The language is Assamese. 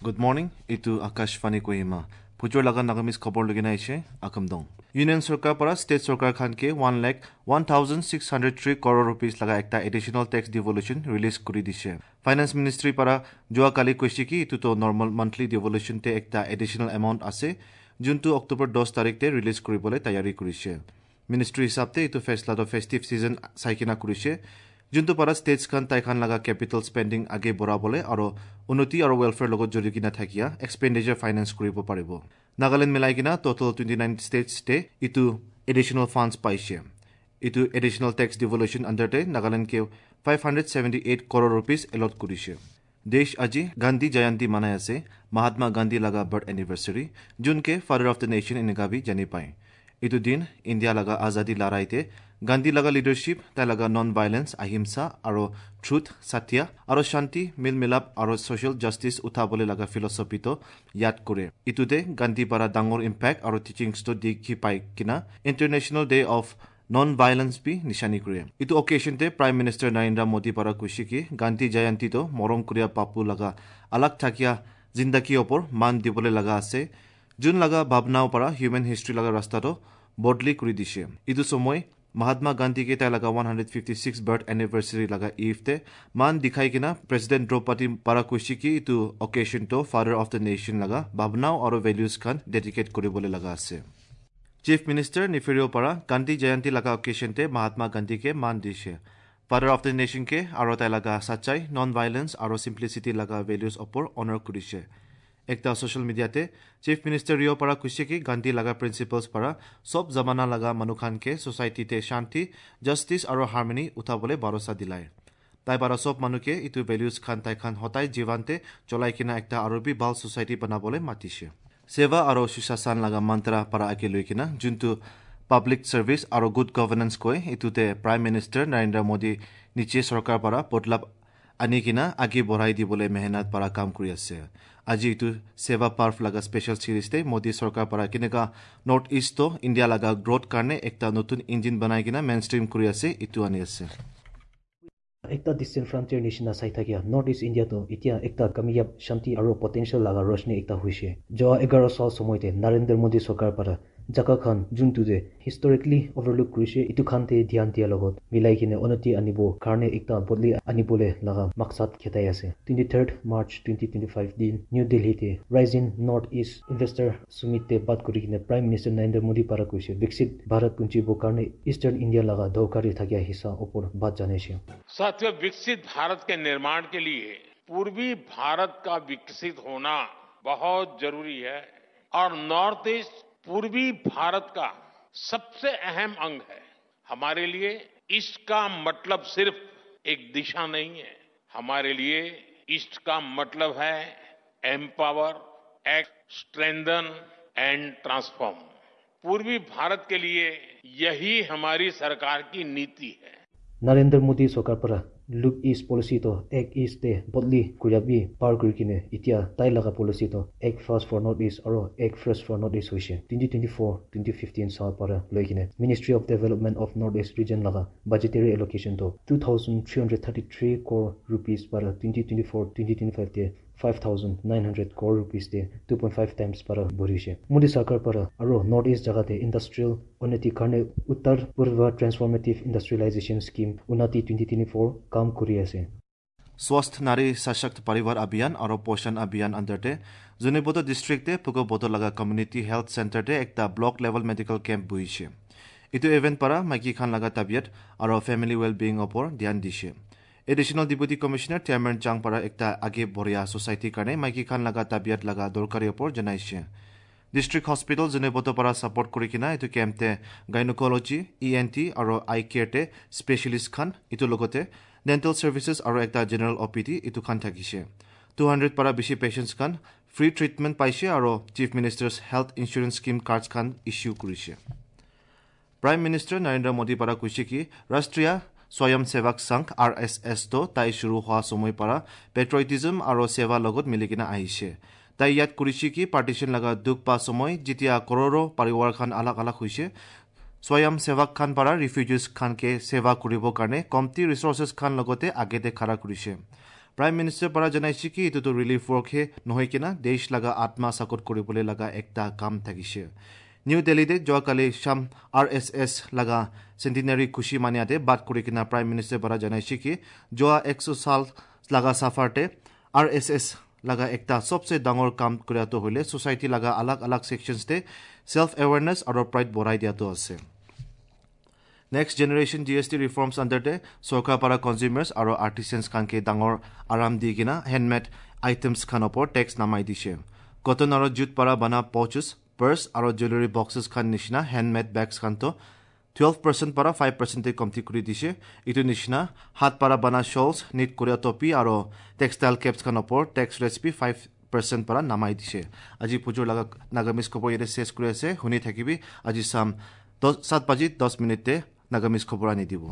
Good morning, এইটো আকাশবাণী কহিমা। ফুচৰ লগা নাগামিজ খবৰ লগিনা আহিছে আকামদং। ইউনিয়ন চৰকাৰ পৰা ষ্টেট চৰকাৰ খানকে 1,01,603 crore rupees লগা একটা এডিশ্যনেল টেক্স ডিভলিউশ্যন ৰিলিজ কৰি দিছে। ফাইনেন্স মিনিষ্ট্ৰী পৰা যোৱাকালি কৈছে কি এইটোতো নৰ্মেল মান্থলি ডিভলিউশ্যনতে একটা এডিশ্যনেল এমাউণ্ট আছে, যোনটো অক্টোবৰ 10 তাৰিখতে ৰিলিজ কৰিবলৈ তৈয়াৰী কৰিছে। মিনিষ্ট্ৰী হিচাপতে এইটো ফেচলাটো ফেষ্টিভ ছিজন চাই কিনা কৰিছে, যোনটো পৰা ষ্টেটছ খান তাইখান লগা কেপিটেল স্পেণ্ডিং আগে বঢ়াবলৈ আৰু উন্নতি আৰু ৱেলফেয়াৰ লগত জড়ি কিনা থাকিয়া এক্সপেণ্ডিচাৰ ফাইনেন্স কৰিব পাৰিব। নাগালেণ্ড মিলাই কিনা টোটেল 29 ষ্টেটছতে ইটো এডিশ্যনেল ফাণ্ডছ পাইছে। এইটো এডিশ্যনেল টেক্স ডিভলিউশ্যন আণ্ডাৰতে নাগালেণ্ডকে 578 crore rupees allot কৰিছে। দেশ আজি গান্ধী জয়ন্তী মানাই আছে, মহাত্মা গান্ধী লগা বাৰ্থ এনিভাৰ্চাৰী, যোনকে ফাদাৰ অফ the nation এনেকা বি জানি পায়। এইটো দিন ইণ্ডিয়া লগা আজাদী লড়াইতে গান্ধী লগা লিডাৰশ্বিপ, তাই লগা নন ভাইলেন্স, অহিংসা আৰু ট্ৰুথ, সত্য আৰু শান্তি, মিল মিলাপ আৰু ছ'চিয়েল জাষ্টিছ উঠাবলৈ লগা ফিলচফিটো ইয়াদ কৰে। ইটোতে গান্ধী পৰা ডাঙৰ ইম্পেক্ট আৰু টিচিংছটো দেখি পাই কিনা International Day of Non Violence B নিশানি কৰে। এইটো অকেশ্যনতে প্ৰাইম মিনিষ্টাৰ নৰেন্দ্ৰ মোদী পৰা কৈছে কি গান্ধী জয়ন্তীটো মৰম কৰিয়া বাপু লগা আলাগ থাকিয়া জিন্দাগী ওপৰ মান দিবলৈ লগা আছে, যোন লগা ভাৱনাও পৰা হিউমেন হিষ্ট্ৰী লগা ৰাস্তাটো বদলি কৰি দিছে। এইটো সময় মহাত্মা গান্ধীকে তাই লগা 156 বাৰ্থ এনিভাৰ্চাৰী লগা ইভতে মান দেখাই কিনা প্ৰেচিডেণ্ট দ্ৰৌপদী পৰা কৈছে কি এইটো অকেশ্যনটো ফাদাৰ অফ the nation লগা ভাৱনাও আৰু ভেলিউজ খান ডেডিকেট কৰিবলৈ লগা আছে। চিফ মিনিষ্টাৰ নিফেৰিঅ পৰা গান্ধী জয়ন্তী লগা অকেশ্যনতে মহাত্মা গান্ধীকে মান দিছে। ফাদাৰ অফ the নেশ্যনকে আৰু তাই লগা সচ্চাই, নন ভাইলেন্স আৰু চিম্প্লিচিটি লগা ভেলিউজ ওপৰ অনাৰ কৰিছে। একটা ছ'চিয়েল মিডিয়াতে চিফ মিনিষ্টাৰ ৰিঅ' পৰা কৈছে কি গান্ধী লগা প্ৰিন্সিপলছ পৰা চব জামানা লগা মানুহখানকে ছ'চাইটিতে শান্তি, জাষ্টিছ আৰু হাৰমনি উঠাবলৈ ভৰসা দিলায়। তাই পৰা চব মানুহকে এইটো ভেলিউজ খান তাই খান সদায় জীৱনতে চলাই কিনা একটা আৰু বি ভাল ছ'চাইটি বনাবলৈ মাতিছে। সেৱা আৰু সুশাসন লগা মন্ত্ৰা পৰা আগে লৈ কিনা যোনটো পাব্লিক ছাৰ্ভিচ আৰু গুড গভৰ্ণেন্স কয়, এইটোতে প্ৰাইম মিনিষ্টাৰ নৰেন্দ্ৰ মোদী নিচে চৰকাৰ পৰা বদলাব আনি কিনা আগে বঢ়াই দিবলৈ মেহনত পৰা কাম কৰি আছে। আজি এইটো সেৱা পাৰ্ভ লগা স্পেচিয়েল চিৰিজতে মোদী চৰকাৰ পৰা কেনেকা নৰ্থ ইষ্ট ইণ্ডিয়া লগা গ্ৰথ কাৰণে একটা নতুন ইঞ্জিন বনাই কিনা মেইন ষ্ট্ৰীম কৰি আছে, এইটো আনি আছে। একটা ডিষ্টেণ্ট ফ্ৰণ্টিয়াৰ নিচিনা চাই থাকিয়া নৰ্থ ইষ্ট ইণ্ডিয়াটো এতিয়া একটা কামিয়াব, শান্তি আৰু পটেনচিয়েল লগা ৰোশনী একটা হৈছে। যোৱা 11 সাল সময়তে নৰেন্দ্ৰ মোদী চৰকাৰ পৰা জাগা খান যোনটোতে হিষ্টৰিকেলি অভাৰলুক কৰিছে, ইটো খানতে ধ্যান দিয়াৰ লগত মিলাই কিনে উন্নতি আনিব কাৰণে একটা বদলি আনিবলৈ লগা মাকচাদ খেদাই আছে। 23rd March 2025 দিন নিউ দিল্লীতে ৰাইজিং নৰ্থ ইষ্ট ইনভেষ্টাৰ সুমিতে বাত কৰি কিনে প্ৰাইম মিনিষ্টাৰ নৰেন্দ্ৰ মোদী পৰা কৈছে, বিকশিত ভাৰত পুঞ্জিব কাৰণে ইষ্টাৰ্ণ ইণ্ডিয়া লগা দৰকাৰী থাকিয়া হিস্সা ওপৰ বাত জানাইছে। साथियों, विकसित भारत के निर्माण के लिए पूर्वी भारत का विकसित होना बहुत जरूरी है और नॉर्थ ईस्ट पूर्वी भारत का सबसे अहम अंग है। हमारे लिए ईस्ट का मतलब सिर्फ एक दिशा नहीं है। हमारे लिए ईस्ट का मतलब है empower, act, strengthen and transform। पूर्वी भारत के लिए यही हमारी सरकार की नीति है। নৰেন্দ্ৰ মোদী চৰকাৰ পৰা লুক ইষ্ট পলিচিটো এক্ট ইষ্ট তে বদলি কৰিবি পাৰ কৰি কিনে এতিয়া তাই লগা পলিচিটো Act Fast for North East আৰু Act Fresh for North East হৈছে। 2024 2015 সাল পৰা লৈ কিনে Ministry of Development of North East Region লগা বাজেটেৰী এলোকেশ্যনটো 2333 crore rupees পৰা 2024-2025 তে 5900 crore rupees তে 2.5 টাইমছ পৰা বঢ়িছে। মোদী চৰকাৰ পৰা আৰু নৰ্থ ইষ্ট জাগাতে ইণ্ডাষ্ট্ৰিয়েল উন্নতিৰ কাৰণে উত্তৰ পূৰ্ব ট্ৰেন্সফৰ্মেটিভ ইণ্ডাষ্ট্ৰিয়েলাইজেশ্যন স্কীম উন্নতি 2024 কাম কৰি আছে। স্বাস্থ্য নাৰী সশক্ত পৰিবাৰ অভিযান আৰু পোষণ অভিযান আণ্ডাৰতে জুনেবোটো ডিষ্ট্ৰিক্টে পুকোবোটো লগা কমিউনিটি হেল্থ চেণ্টাৰতে একটা ব্লক লেভেল মেডিকেল কেম্প বহিছে। এইটো ইভেণ্ট পৰা মাইকী খান লগা তাবিয়ত আৰু ফেমিলি ৱেল বিয়িং ওপৰ ধ্যান দিছে। এডিশ্যনেল ডিপুটি কমিশ্যনাৰ টেমেন চাং পৰা একটা আগে বঢ়িয়া ছ'চাইটিৰ কাৰণে মাইকী খান লগা তাবিয়ত লগা দৰকাৰী ওপৰ জনাইছে। ডিষ্ট্ৰিক্ট হস্পিটেল জুনেবোটো পৰা ছাপৰ্ট কৰি কিনা এইটো কেম্পতে গাইনকলজি, ইএনটি আৰু আই কেয়াৰতে স্পেচিয়েলিষ্ট খান, এইটো লগতে ডেণ্টেল ছাৰ্ভিচেছ আৰু এটা জেনেৰেল অ'পিডি এইটো খান থাকিছে। 200 পৰা বেছি পেচেণ্টছ খান ফ্ৰী ট্ৰিটমেণ্ট পাইছে আৰু Chief Minister's Health Insurance Scheme cards খান ইছ্যু কৰিছে। প্ৰাইম মিনিষ্টাৰ নৰেন্দ্ৰ মোদী পৰা কৈছে কি ৰাষ্ট্ৰীয় স্বয়ং সেৱক সংঘ, আৰএছএছ তো তাই শুৰু হোৱা সময় পৰা পেট্ৰয়টিজম আৰু সেৱা লগত মিলি কিনে আহিছে। তাই ইয়াত কৰিছে কি পাৰ্টিশ্যন লগা দুখ পা সময় যেতিয়া কৰোৰো পৰিবাৰ খান আলাগ আলাগ হৈছে, স্বয়ং সেৱক খান পৰা ৰিফিউজিজ খানকে সেৱা কৰিবৰ কাৰণে কমটি ৰিচৰ্চেছ খান লগতে আগেতে খাৰা কৰিছে। প্ৰাইম মিনিষ্টাৰ পৰা জনাইছে কি এইটোতো ৰিলিফ ৱৰ্কহে নহয় কিনা দেশ লগা আত্মা চাকত কৰিবলৈ লগা একটা কাম থাকিছে। নিউ দিল্লীতে যোৱাকালি শ্যাম আৰ এছ এছ লগা চেণ্টিনাৰী খুচি মানিয়াতে বাদ কৰি কিনা প্ৰাইম মিনিষ্টাৰ পৰা জনাইছে কি যোৱা 100 সাল লগা চাফাৰতে আৰ এছ এছ লগা একটা সবচে ডাঙৰ কাম কৰাটো হ'লে ছ'চাইটি লগা আলাগ আলাগ ছেকশ্যনছতে ছেল্ফ এৱেৰনেছ আৰু প্ৰাইড বঢ়াই দিয়াটো আছে। Next generation GST reforms আণ্ডাৰতে চৰকাৰ পৰা কনজিউমাৰ্ছ আৰু আৰ্টিচানছ খানকে ডাঙৰ আৰাম দি কিনা হেণ্ডমেড আইটেমছ খান ওপৰত টেক্স নামাই দিছে। কটন আৰু জুট পৰা বনা পাউচেছ, পাৰ্চ আৰু জুৱেলাৰী বক্সেছ খান নিচিনা হেণ্ডমেড বেগছ খানটো 12% পৰা 5% কমতি কৰি দিছে। এইটো নিচিনা হাত পৰা বনা শ্বলছ, নিট কৰা টপি আৰু টেক্সটাইল কেপছ খান ওপৰত টেক্স ৰেটছ বি 5% পৰা নামাই দিছে। আজি পুজোৰ লগা নাগামিজ খবৰ ইয়াতে শেষ কৰি আছে। শুনি থাকিবি আজি চাম 7:10 নাগামিজ খবৰ আনি দিব।